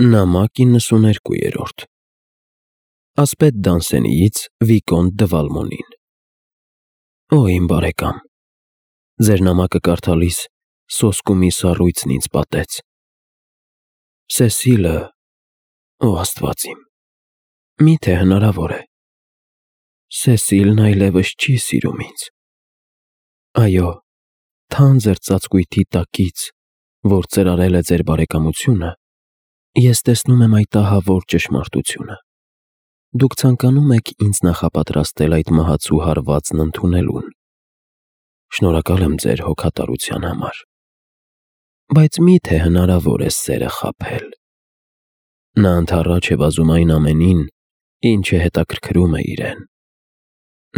Նամակ 92-րդ Ասպետ Դանսենիից Վիկոնտ դը Վալմոնին Օ իմ բարեկամ, ձեր նամակը կարդալիս սոսկումի սառույցն ինձ պատեց։ Սեսիլը, օ Աստված իմ, միթե հնարավոր է։ Սեսիլն այլևս չի սիրում ինձ։ Այո, թանձր ծածկույթի տակից, որ ծրարել է ձեր բարեկամությունը, ես տեսնում եմ այդ ահավոր ճշմարտությունը։ Դուք ցանկանում եք ինձ նախապատրաստել այդ մահացու հարվածն ընդունելուն։ Շնորհակալ եմ ձեր հոգատարության համար։ Բայց միթե հնարավոր է սերը խաբել։ Նա ընդառաջ է վազում այն ամենին, ինչը հետաքրքրում է իրեն։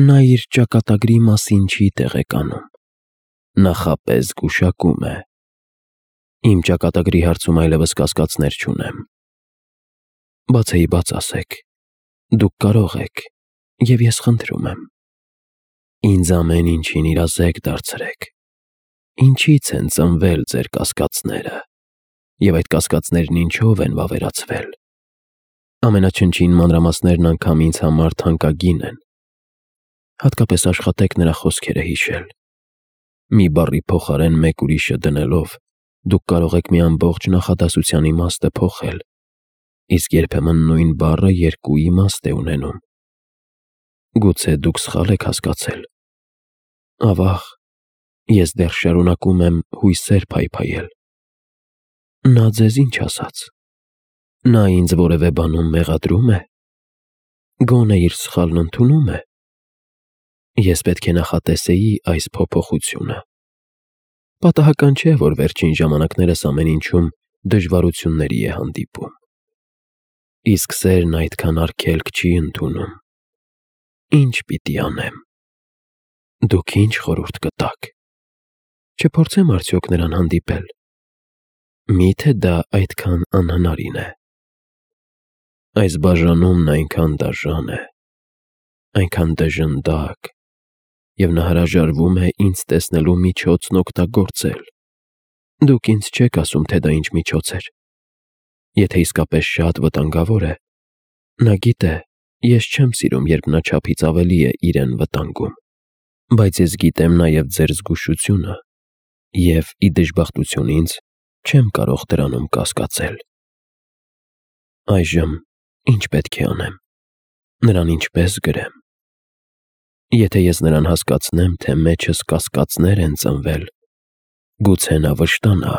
Նա իր ճակատագրի մասին չի տեղեկանում։ Նախապես գուշակում է։ Իմ ճակատագրի հարցում այլևս կասկածներ չունեմ։ Բացեի բաց ասեք, դուք կարող եք, և ես խնդրում եմ։ Ինձ ամեն ինչին իրազեկ դարձրեք։ Ինչից են ծնվել ձեր կասկածները, և այդ կասկածներն ինչով են վավերացվել։ Ամենաչնչին մանրամասներն անգամ ինձ համար թանկագին են։ Հատկապես աշխատեք նրա խոսքերը հիշել։ Մի բառի փոխարեն մեկ ուրիշը դնելով, դուք կարող եք մի ամբողջ նախադասության իմաստը փոխել, իսկ երբեմն նույն բառը երկու իմաստ է ունենում։ Գուցե դուք սխալ եք հասկացել։ Ավաղ, ես դեռ շարունակում եմ հույսեր փայփայել։ Նա ձեզ ինչ ասաց։ Նա ինձ որևէ բանում մեղադրում է։ Գոնե իր սխալն ընդունում է։ Ես պետք է նախատեսեի այս փոփոխությունը։ Պատահական չէ, որ վերջին ժամանակներս ամեն ինչում դժվարությունների է հանդիպում։ Իսկ սերն այդքան արգելք չի ընդունում։ Ինչ պիտի անեմ։ Դուք ինչ խորհուրդ կտաք։ Չփորձեմ արդյոք նրան հանդիպել։ Միթե դա այդքան անհնարին է։ Այս բաժանումն այնքան դաժան է, այնքան դժնդակ, և նա հրաժարվում է ինձ տեսնելու միջոցն օգտագործել։ Դուք ինձ չեք ասում, թե դա ինչ միջոց էր։ Եթե իսկապես շատ վտանգավոր է, նա գիտե, ես չեմ սիրում, երբ նա չափից ավելի է իրեն վտանգում, բայց ես գիտեմ նաև ձեր զգուշությունը և, ի դժբախտություն ինձ, չեմ կարող դրանում կասկածել։ Այժմ ինչ պետք է անեմ։ Նրան ինչպես գրեմ։ Եթե ես նրան հասկացնեմ, թե մեջս կասկածներ են ծնվել, գուցե նա վշտանա։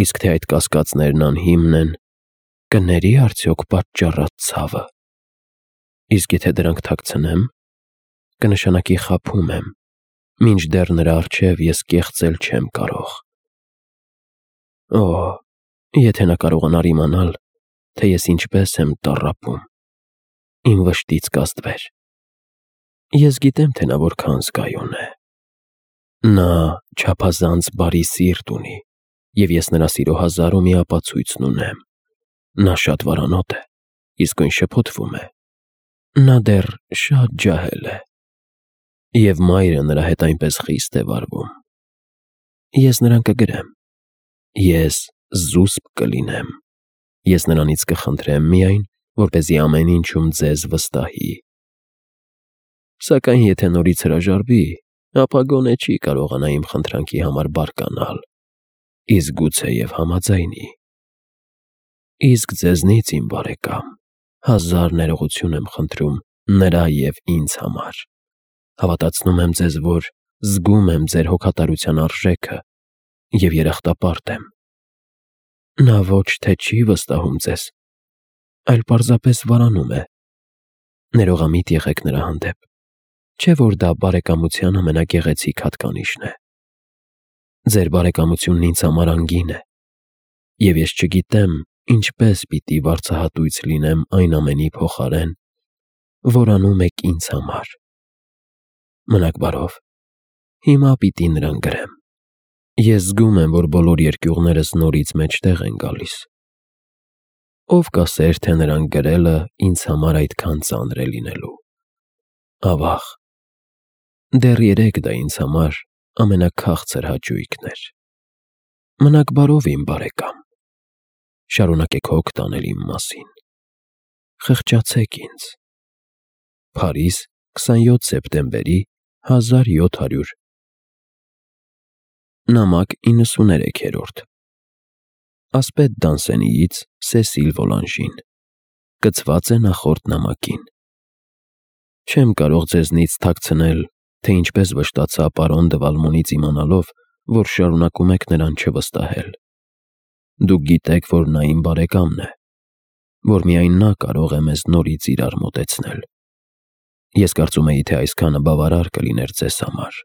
Իսկ թե այդ կասկածներն անհիմն են, կների արդյոք պատճառած ցավը։ Իսկ եթե դրանք թաքցնեմ, կնշանակի խաբում եմ, մինչդեռ նրա առջև ես կեղծել չեմ կարող։ Օ, եթե նա կարողանար իմանալ, թե ես ինչպես եմ տառապում, իմ վշտից կազդվեր։ Ես գիտեմ, թե նա որքան զգայուն է։ Նա չափազանց բարի սիրտ ունի, և ես նրա սիրո հազար ու մի ապացույցն ունեմ։ Նա շատ վարանոտ է, իսկույն շփոթվում է։ Նա դեռ շատ ջահել է։ Եվ մայրը նրա հետ այնպես խիստ է վարվում։ Ես նրան կգրեմ։ Ես զուսպ կլինեմ։ Ես նրանից կխնդրեմ միայն, որպեսզի ամեն ինչում ձեզ վստահի։ Սակայն եթե նորից հրաժարվի, ապա գոնե չի կարողանա իմ խնդրանքի համար բարկանալ, իսկ գուցեև համաձայնի։ Իսկ ձեզնից, իմ բարեկամ, հազար ներողություն եմ խնդրում նրա և ինձ համար։ Հավատացնում եմ ձեզ, որ զգում եմ ձեր հոգատարության արժեքը և երախտապարտ եմ։ Նա ոչ թե չի վստահում ձեզ, այլ պարզապես վարանում է։ Ներողամիտ եղեք նրա հանդեպ, չէ՞ որ դա բարեկամության ամենագեղեցիկ հատկանիշն է։ Ձեր բարեկամությունն ինձ համար անգին է, և ես չգիտեմ ինչպես պիտի վարձահատույց լինեմ այն ամենի փոխարեն, որ անում եք ինձ համար։ Մնաք բարով, հիմա պիտի նրան գրեմ։ Ես զգում եմ, որ բոլոր երկյուղներս նորից մեջտեղ են գալիս։ Ով կասեր, թե նրան գրելը ինձ համար այդքան ծանր է լինելու։ Ավաղ, դեռ երեկ դա ինձ համար ամենաքաղցր հաճույքն էր։ Մնաք բարով, իմ բարեկամ։ շարունակեք հոգ տանել իմ մասին։ Խղճացեք ինձ։ Փարիզ, 27 սեպտեմբերի 1700։ Նամակ 93-րդ։ Ասպետ Դանսենիից Սեսիլ Վոլանժին։ Կցված է նախորդ նամակին։ Չեմ կարող ձեզնից թաքցնել, թե ինչպես վշտացա պարոն դը Վալմոնից իմանալով, որ շարունակում եք նրան չվստահել։ Դուք գիտեք, որ նա իմ բարեկամն է, որ միայն նա կարող է մեզ նորից իրար մոտեցնել։ Ես կարծում էի, թե այսքանը բավարար կլիներ ձեզ համար։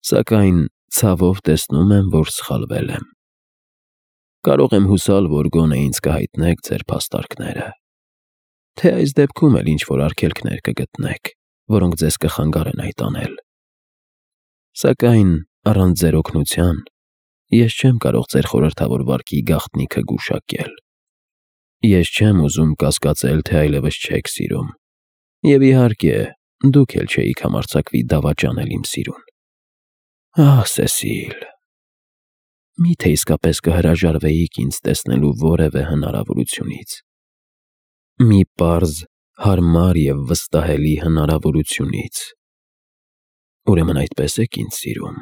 Սակայն ցավով տեսնում եմ, որ սխալվել եմ։ Կարող եմ հուսալ, որ գոնե ինձ կհայտնեք ձեր փաստարկները, թե այս դեպքում էլ ինչ-որ արգելքներ կգտնեք, որոնք ձեզ կխանգարեն այդ անել։ Սակայն առանց ձեր օգնության ես չեմ կարող ձեր խորհրդավոր վարքի գաղտնիքը գուշակել։ Ես չեմ ուզում կասկածել, թե այլևս չեք սիրում, և իհարկե դուք էլ չէիք համարձակվի դավաճանել իմ սիրուն։ Ահ, Սեսիլ, միթե իսկապես կհրաժարվեիք ինձ տեսնելու որևէ հնարավորությունից։ Մի պարզ, հարմար և վստահելի հնարավորությունից։ Ուրեմն այդպես եք ինձ սիրում։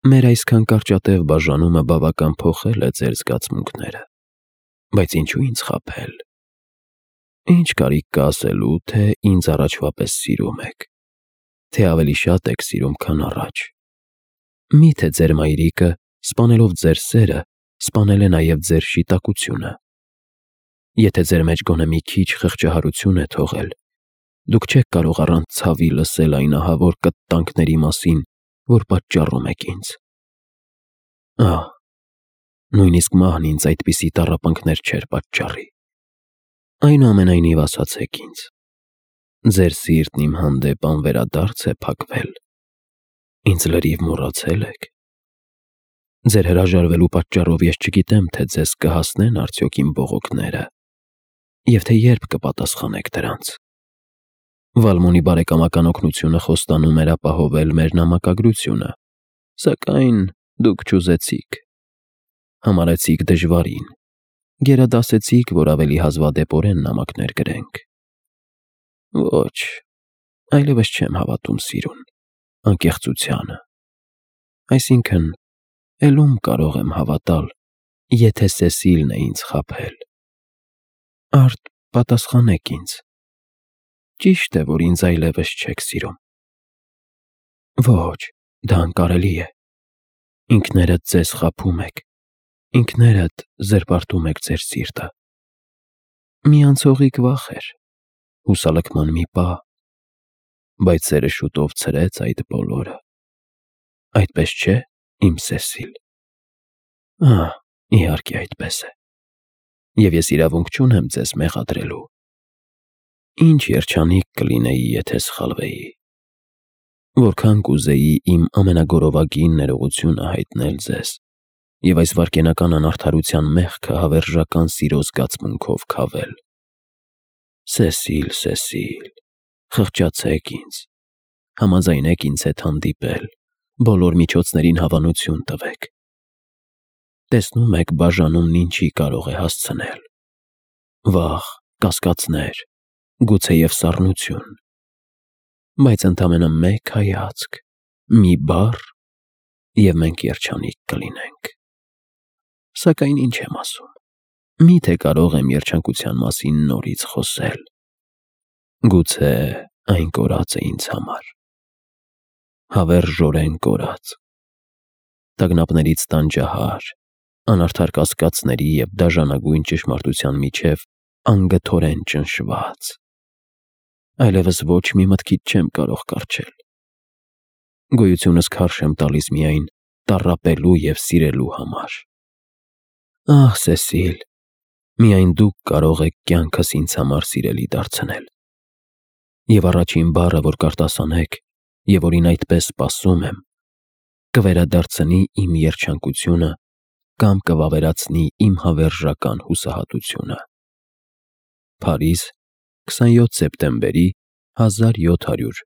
Մեր այսքան կարճատև բաժանումը բավական փոխել է ձեր զգացմունքները, բայց ինչու ինձ խաբել։ Ինչ կարիք կա ասելու, թե ինձ առաջվա պես սիրում եք, թե ավելի շատ եք սիրում, քան առաջ։ Միթե ձեր մայրիկը, սպանելով ձեր սերը, սպանել է նաև ձեր շիտակությունը։ Եթե ձեր մեջ գոնե մի քիչ խղճահարություն է թողել, դուք չեք կարող առանց ցավի լսել այն ահավոր կտտանքների մասին, որ պատճառում եք ինձ։ Ահ, նույնիսկ մահն ինձ այդպիսի տառապանքներ չէր պատճառի։ Այնուամենայնիվ ասացեք ինձ, ձեր սիրտն իմ հանդեպ անվերադարձ է փակվել։ Ինձ լրիվ մոռացել եք։ Ձեր հրաժարվելու պատճառով ես չգիտեմ, թե ձեզ կհասնեն արդյոք իմ բողոքները, և թե երբ կպատասխանեք դրանց։ Վալմոնի բարեկամական օգնությունը խոստանում էր ապահովել մեր նամակագրությունը, սակայն դուք չուզեցիք։ Համարեցիք դժվարին, գերադասեցիք, որ ավելի հազվադեպորեն նամակներ գրենք։ Ոչ, այլևս չեմ հավատում սիրուն, անկեղծությանը։ Այսինքն, էլ ում կարող եմ հավատալ, եթե Սեսիլն է ինձ խաբել։ Արդ պատասխանեք ինձ։ Ճիշտ է, որ ինձ այլևս չեք սիրում։ Ոչ, դա անկարելի է։ Ինքներդ ձեզ խաբում եք, ինքներդ զրպարտում եք ձեր սիրտը։ Մի անցողիկ վախ էր, հուսալքման մի պահ, բայց սերը շուտով ցրեց այդ բոլորը։ Այդպես չէ՞, իմ Սեսիլ։ Ահ, իհարկե այդպես է։ Եվ ես իրավունք չունեմ ձեզ մեղադրելու։ Ինչ երջանիկ կլինեի, եթե սխալվեի։ Որքան կուզեի իմ ամենագորովագին ներողությունը հայտնել ձեզ և այս վայրկենական անարդարության մեղքը հավերժական սիրո զգացմունքով քավել։ Սեսիլ, Սեսիլ, խղճացեք ինձ, համաձայնեք ինձ հետ հանդիպել, բոլոր միջոցներին հավանություն տվեք։ Տեսնում եք, բաժանումն ինչի կարող է հասցնել։ Վախ, կասկածներ, գուցեև սառնություն։ Բայց ընդամենը մեկ հայացք, մի բառ, և մենք երջանիկ կլինենք։ Սակայն ինչ եմ ասում, միթե կարող եմ երջանկության մասին նորից խոսել։ Գուցե այն կորած է ինձ համար։ Հավերժորեն կորած։ Տագնապներից տանջահար, անարդար կասկածների և դաժանագույն ճշմարտության միջև անգթորեն ճնշված։ Այլևս ոչ մի մտքից չեմ կարող կառչել։ Գոյությունս քարշ եմ տալիս միայն տառապելու և սիրելու համար։ Ահ, Սեսիլ, միայն դուք կարող եք կյանքս ինձ համար սիրելի դարձնել։ Եվ առաջին բառը, որ կարտասանեք, և որին այդպես սպասում եմ, կվերադարձնի իմ երջանկությունը կամ կվավերացնի իմ հավերժական հուսահատությունը։ Փարիզ, 27 սեպտեմբերի 1700։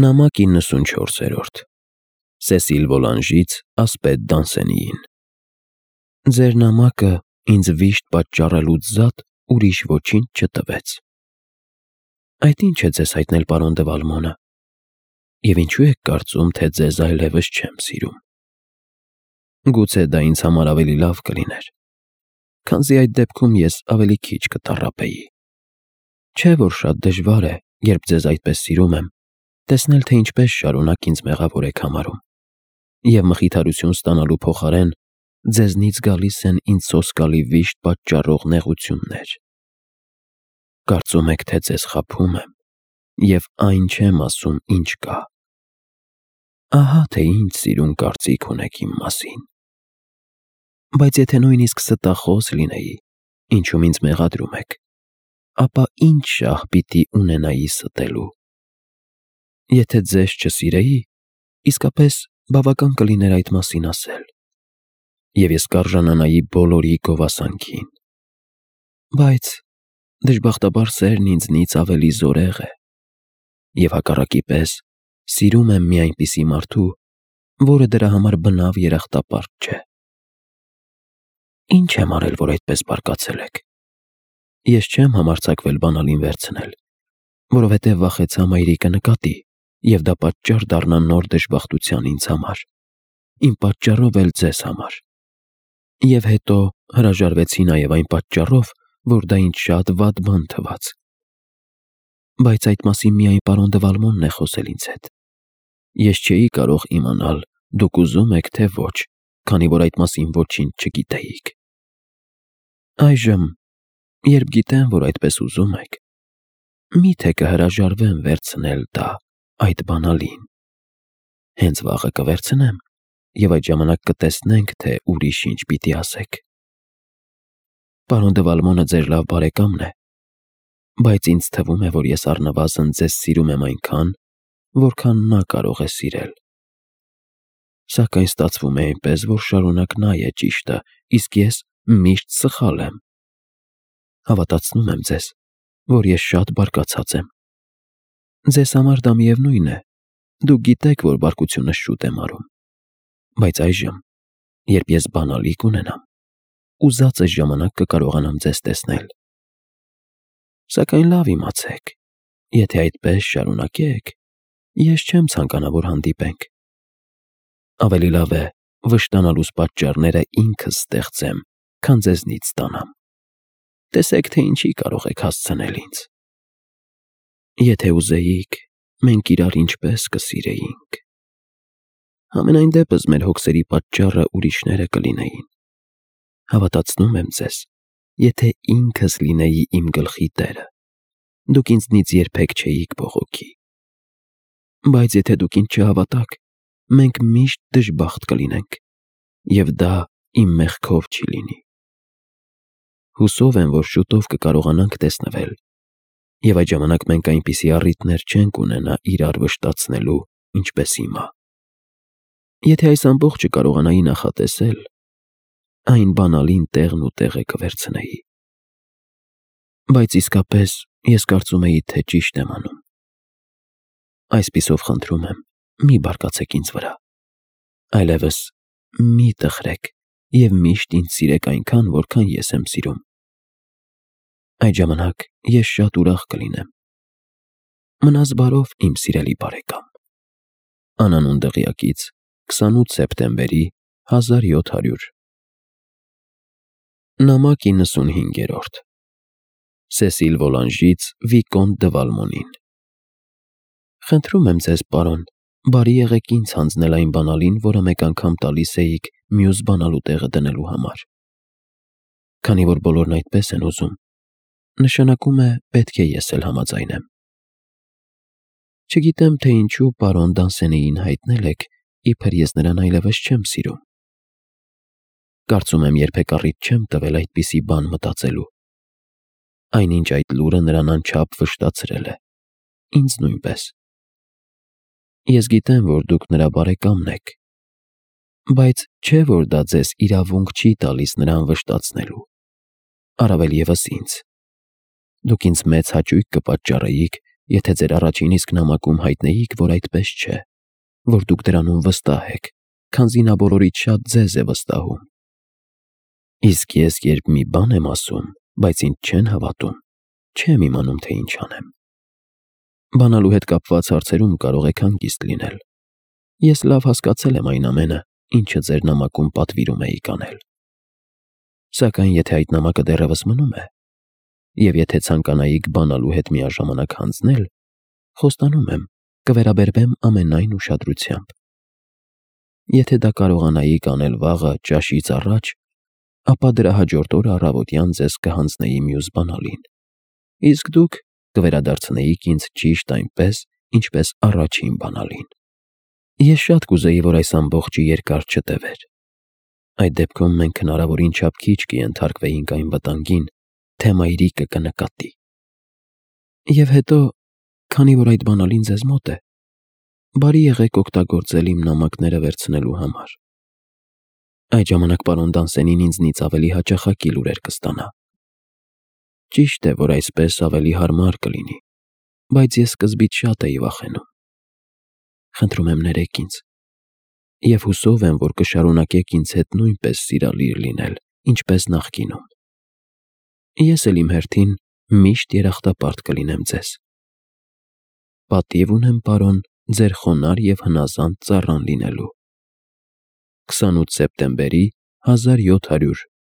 Նամակ 94-րդ։ Սեսիլ Վոլանժից ասպետ Դանսենիին։ Ձեր նամակը ինձ վիշտ պատճառելուց զատ ուրիշ ոչինչ չտվեց։ Այդ ի՞նչ է ձեզ հայտնել, պարոն դե Վալմոնը, և ինչու եք կարծում, թե ձեզ այլևս չեմ սիրում։ Գուցե դա ինձ համար ավելի լավ կլիներ, քանզի այդ դեպքում ես ավելի քիչ կտառապեի։ Չէ՞ որ շատ դժվար է, երբ ձեզ այդպես սիրում եմ, տեսնել, թե ինչպես շարունակ ինձ մեղավոր եք համարում, և մխիթարություն ստանալու փոխարեն ձեզնից գալիս են ինձ սոսկալի վիշտ պատճառող նեղություններ։ Կարծում եք, թե ձեզ խաբում եմ, և այն չեմ ասում, ինչ կա։ Ահա թե ինչ սիրուն կարծիք ունեք իմ մասին։ Բայց եթե նույնիսկ ստախոս լինեի, ինչում ինձ մեղադրում եք, ապա ինչ շահ պիտի ունենայի ստելու։ Եթե ձեզ չսիրեի, իսկապես բավական կլիներ այդ մասին ասել, և ես կարժանանայի բոլորի գովասանքին։ Բայց դժբախտաբար սերն ինձնից ավելի զորեղ է, և հակառակի պես սիրում եմ մի այնպիսի մարդու, որը դրա համար բնավ երախտապարտ չէ։ Ինչ եմ արել, որ այդպես բարկացել եք։ Ես չեմ համարձակվել բանալին վերցնել, որովհետև վախեցա մայրիկը նկատի, և դա պատճառ դառնա նոր դժբախտության ինձ համար, իմ պատճառով էլ ձեզ համար։ Եվ հետո հրաժարվեցի նաև այն պատճառով, որ դա ինձ շատ վատ բան թվաց։ Բայց այդ մասին միայն պարոն դե Վալմոնն է խոսել ինձ հետ։ Ես չէի կարող իմանալ դուք ուզում եք, թե ոչ, քանի որ այդ մասին ոչինչ չգիտեիք։ Այժմ, երբ գիտեմ, որ այդպես ուզում եք, մի՞թե կհրաժարվեմ վերցնել դա, այդ բանալին։ Հենց վաղը կվերցնեմ, և այդ ժամանակ կտեսնենք, թե ուրիշ ինչ պիտի ասեք։ Պարոն դե Վալմոնը ձեր լավ բարեկամն է, բայց ինձ թվում է, որ ես առնվազն ձեզ սիրում եմ այնքան, որքան նա կարող է սիրել։ Սակայն ստացվում է այնպես, որ շարունակ նա է ճիշտը, իսկ ես միշտ սխալ եմ։ Հավատացնում եմ ձեզ, որ ես շատ բարկացած եմ։ Ձեզ համար դա միևնույն է, դուք գիտեք, որ բարկությունս շուտ եմ արում։ Բայց այժմ, երբ ես բանալի կունենամ, ուզածս ժամանակ կկարողանամ ձեզ տեսնել։ Սակայն լավ իմացեք, եթե այդպես շարունակեք, ես չեմ ցանկանա, որ հանդիպենք։ Ավելի լավ է վշտանալուս պատճառները ինքս ստեղծեմ, քան ձեզնից ստանամ։ Տեսեք, թե ինչի կարող եք հասցնել ինձ։ Եթե ուզեիք, մենք իրար ինչպես կսիրեինք։ Համենայն դեպս մեր հոգսերի պատճառը ուրիշները կլինեին։ Հավատացնում եմ ձեզ, եթե ինքս լինեի իմ գլխի տերը, դուք ինձնից երբեք չէիք բողոքի։ Բայց եթե դուք ինձ չհավատաք, մենք միշտ դժբախտ կլինենք, և դա իմ մեղքով չի լինի։ Հուսով եմ, որ շուտով կկարողանանք տեսնվել, և այդ ժամանակ մենք այնպիսի առիթներ չենք ունենա իրար վշտացնելու, ինչպես հիմա։ Եթե այս ամբողջը կարողանայի նախատեսել, այն բանալին տեղն ու տեղը կվերցնեի։ Բայց իսկապես ես կարծում էի, թե ճիշտ եմ անում։ Այսպիսով խնդրում եմ, մի բարկացեք ինձ վրա։ Այլևս մի տխրեք և միշտ ինձ սիրեք այնքան, որքան ես եմ սիրում։ Այդ ժամանակ ես շատ ուրախ կլինեմ։ Մնաս բարով, իմ սիրելի բարեկամ։ Անանուն դղյակից 28 սեպտեմբերի 1700։ Նամակ 95-րդ Սեսիլ Վոլանժից Վիկոնտ դը Վալմոնին։ Խնդրում եմ ձեզ, պարոն, բարի եղեք ինձ հանձնել այն բանալին, որը մեկ անգամ տալիս էիք մյուս բանալու տեղը դնելու համար։ Քանի որ բոլորն այդպես են ուզում, նշանակում է պետք է ես էլ համաձայնեմ։ Չգիտեմ, թե ինչու պարոն Դանսենեին հայտնել եք, իբր ես նրան այլևս չեմ սիրում։ Կարծում եմ երբեք առիթ չեմ տվել այդպիսի բան մտածելու։ Այնինչ այդ լուրը նրան անչափ վշտացրել է, ինձ նույնպես։ Ես գիտեմ, որ դուք նրա բարեկամն եք, բայց չէ՞ որ դա ձեզ իրավունք չի տալիս նրան վշտացնելու, առավել ևս ինձ։ Դուք ինձ մեծ հաճույք կպատճառեիք, եթե ձեր առաջին իսկ նամակում հայտնեիք, որ այդպես չէ, որ դուք դրանում վստահ եք, քանզի նա բոլորից շատ ձեզ է վստահում։ Իսկ ես երբ մի բան եմ ասում, բայց ինձ չեն հավատում, չեմ իմանում, թե ինչ անեմ։ Բանալու հետ կապված հարցերում կարող եք հանգիստ լինել։ Ես լավ հասկացել եմ այն ամենը, ինչը ձեր նամակում պատվիրում էիք անել։ Սակայն եթե այդ նամակը դեռևս մնում է, եւ եթե ցանկանայիք բանալու հետ միաժամանակ հանձնել, խոստանում եմ, կվերաբերվեմ ամենայն ուշադրությամբ։ Եթե դա կարողանայիք անել վաղը ճաշից առաջ, ապա դրա հաջորդ օրը առավոտյան ձեզ կհանձնեի մյուս բանալին, իսկ դուք կվերադարձնեիք ինձ ճիշտ այնպես, ինչպես առաջին բանալին։ Ես շատ կուզեի, որ այս ամբողջը երկար չտևեր։ Այդ դեպքում մենք հնարավորին չափ քիչ կենթարկվեինք այն վտանգին, թե մայրիկը կնկատի։ Եվ հետո, քանի որ այդ բանալին ձեզ մոտ է, բարի եղեք օգտագործել իմ նամակները վերցնելու համար։ Այդ ժամանակ պարոն Դանսենին ինձնից ավելի հաճախակի լուրեր կստանա։ Ճիշտ է, որ այսպես ավելի հարմար կլինի, բայց ես սկզբից շատ էի վախենում։ Խնդրում եմ ներեք ինձ, եւ հուսով եմ, որ կշարունակեք ինձ հետ նույնպես սիրալիր լինել, ինչպես նախկինում։ Ես էլ իմ հերթին միշտ երախտապարտ կլինեմ ձեզ։ Պատիվ ունեմ, պարոն, ձեր խոնարհ եւ հնազանդ ծառան լինելու։ 28 սեպտեմբերի 1700